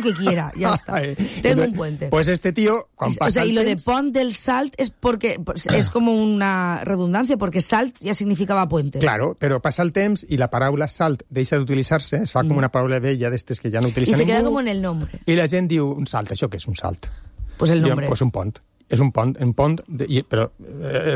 que quiera, ya está. Tengo un puente. Pues este tío, cuando pasa y lo de pont del Salt es porque es como una redundancia, porque Salt ya significava puente. Claro, però passa el temps i la paraula salt deixa d'utilitzar-se, es fa com una paraula vella d'estes que ja no utilitza ningú. I se queda como en el nombre. I la gent diu, un salt, això què és un salt? Pues el nombre. Pues un pont. És un pont, però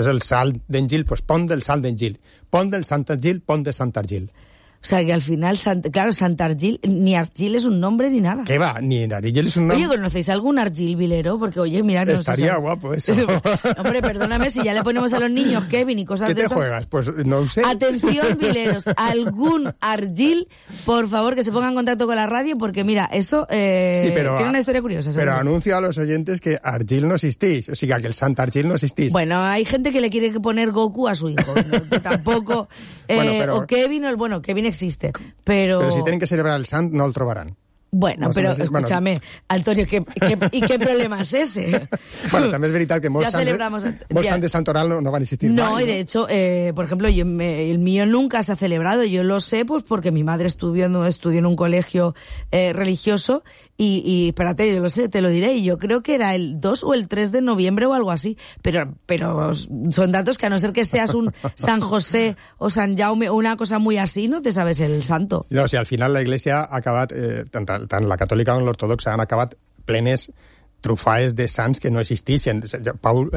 és el salt d'Engil, pues pont del salt d'Engil. Pont del Sant Argil, pont de Sant Argil. O sea, que al final, claro, Santargil, ni Argil es un nombre ni nada. ¿Qué va? Ni Argil es un nombre. Oye, ¿conocéis algún Argil vilero? Porque, oye, mira... No estaría guapo eso. Hombre, perdóname, si ya le ponemos a los niños Kevin y cosas de esas... ¿Qué te juegas? Pues no sé. Atención, vileros, algún Argil, por favor, que se ponga en contacto con la radio, porque mira, eso tiene una historia curiosa. Pero anuncio a los oyentes que Argil no existís, o sea, que el Sant Argil no existís. Bueno, hay gente que le quiere poner Goku a su hijo, ¿no? Que tampoco... o Kevin, Kevin existe, pero si tienen que celebrar el Sant, no el trobaran. Bueno, no, pero escúchame, Antonio, ¿y qué problema es ese? Bueno, també és veritat que molts sants de Santoral no van existir no, mai. Y de hecho, por ejemplo, el mío nunca se ha celebrado. Yo lo sé pues porque mi madre estudió en un colegio religioso y espérate, yo lo sé, te lo diré, y yo creo que era el 2 o el 3 de noviembre o algo así, pero son datos que a no ser que seas un San José o San Jaume o una cosa muy así, no te sabes el santo. No, o sigui, al final la Iglesia ha acabat, tant la catòlica com l'ortodoxa han acabat plenes trufaes de sants que no existeixen. Pablo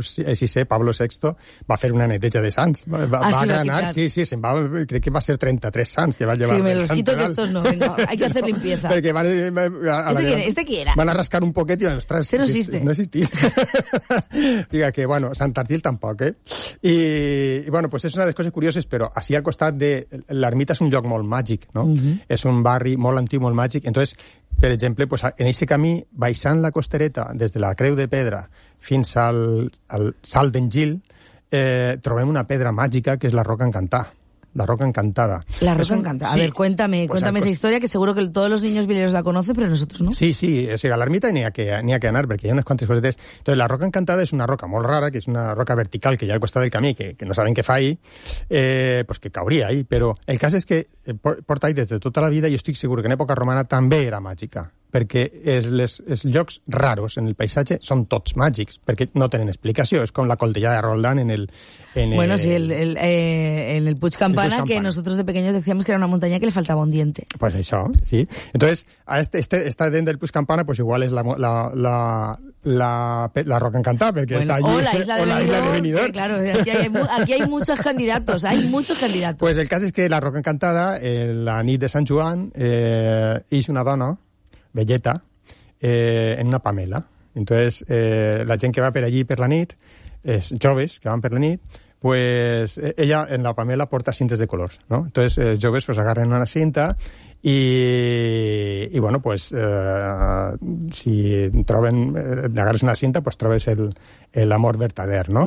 VI va fer una neteja de sants. Va agranar, sí, se'n va, crec que va ser 33 sants que va llevar. Sí, me los quito que estos no, venga, hay que hacer limpieza. Perquè van... ¿Este quién era? Van a rascar un poquet i, ostres, no existe. No existís. O sigui que, bueno, Sant Argil tampoc, I, bueno, pues és una de les coses curioses, però així al costat de... L'ermita és un lloc molt màgic, no? És un barri molt antic, molt màgic. Entonces, per exemple, pues, en aquest camí, baixant la costereta, des de la Creu de Pedra fins al Salt d'Engil, trobem una pedra màgica que és la Roca Encantada. La Roca Encantada. La Roca Encantada. A ver, cuéntame esa historia, que seguro que todos los niños vileros la conocen, pero nosotros no. Sí, o sigui, a l'ermita n'hi ha que anar, perquè hi ha unes quantes cosetes. Entonces, la Roca Encantada és una roca molt rara, que és una roca vertical que hi ha al costat del camí, que no saben què fa ahí, pues que cauria ahí, però el cas és que porta ahí des de tota la vida i estic segur que en època romana també era màgica, perquè els llocs raros en el paisatge són tots màgics, perquè no tenen explicació. És com la Collellada de Roldán en el Puig Campana, que nosotros de pequeños decíamos que era una montaña que le faltaba un diente. Pues això, sí. Entonces, a esta dent del Puig Campana, pues igual és la Roca Encantada, perquè està allí. O la isla de Benidorm. Claro, aquí hay muchos candidatos, Pues el cas és que la Roca Encantada, la nit de Sant Joan, és una dona velleta en una pamela. Entonces, la gent que va per allí per la nit, joves que van per la nit, pues ella en la pamela porta cintes de colors, ¿no? Entonces, joves pues agarren una cinta y bueno, pues si agarres una cinta, pues trobes el amor verdader, ¿no?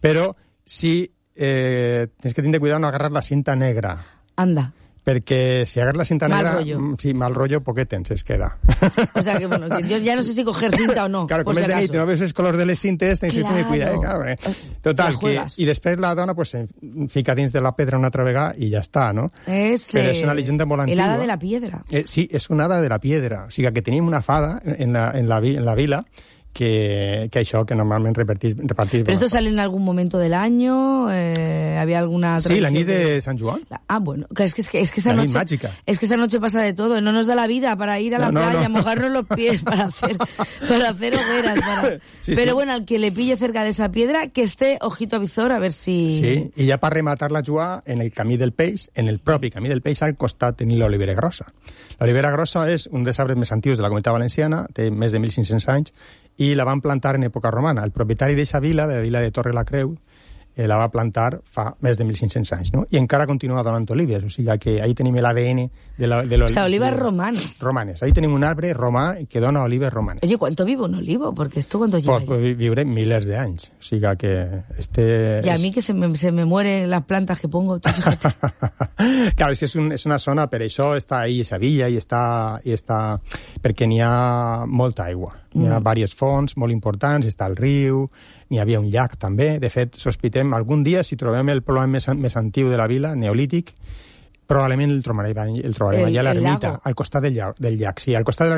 Però si tens que tindre cuidado no agarrar la cinta negra. Anda. Perquè si agarras la cinta negra... Mal rollo. Sí, mal rollo, poquet temps es queda. O sea, que bueno, que yo ya no sé si coger cinta o no. Claro, com és de nit, no veus els colors de les cintes, tens que tenir cuidado. Claro. Total, i després la dona pues, se fica dins de la pedra una altra vegada i ja està, no? Però és una llegenda molt antiga. El hada de la piedra. Sí, és una hada de la piedra. O sigui, que tenim una fada en la vila que això, que normalment repartís... ¿Pero esto sale en algún momento del año? ¿Había alguna tradición? Sí, la nit de San Joan. Bueno, es que esa noche... mágica. Es que esa noche pasa de todo. No nos da la vida para ir a la playa, mojarnos los pies, para hacer hogueras. Pero bueno, al que le pille cerca de esa piedra, que esté ojito a visor, a ver si... Sí, i ja per rematar la Joà, en el camí del peix, en el propi camí del peix, al costat tenim l'olivera grossa. L'olivera grossa és un dels arbres més antius de la Comunitat Valenciana, té més de 1.500 anys, i la van plantar en època romana. El propietari d'eixa vila, de la vila de Torre la Creu, la va plantar fa més de 1.500 anys, ¿no? I encara continua donant olives, o sigui que ahí tenim l'ADN de l'oliva. O sea, olives romanes. Romanes. Ahí tenim un arbre romà que dona olives romanes. Oye, ¿cuánto vive un olivo? Porque esto, ¿cuánto lleva? Pues viure milers d'anys. O sigui que Y a mí que se me mueren las plantas que pongo. Claro, és que és una zona, per això està ahí esa villa i està perquè n'hi ha molta aigua. N'hi ha diverses fonts molt importants, està el riu, n'hi havia un llac també. De fet, sospitem algun dia, si trobem el poblament més antiu de la vila, neolític, Probablement el trobarem allà a l'ermita, lago. al costat del llac. Sí, al costat de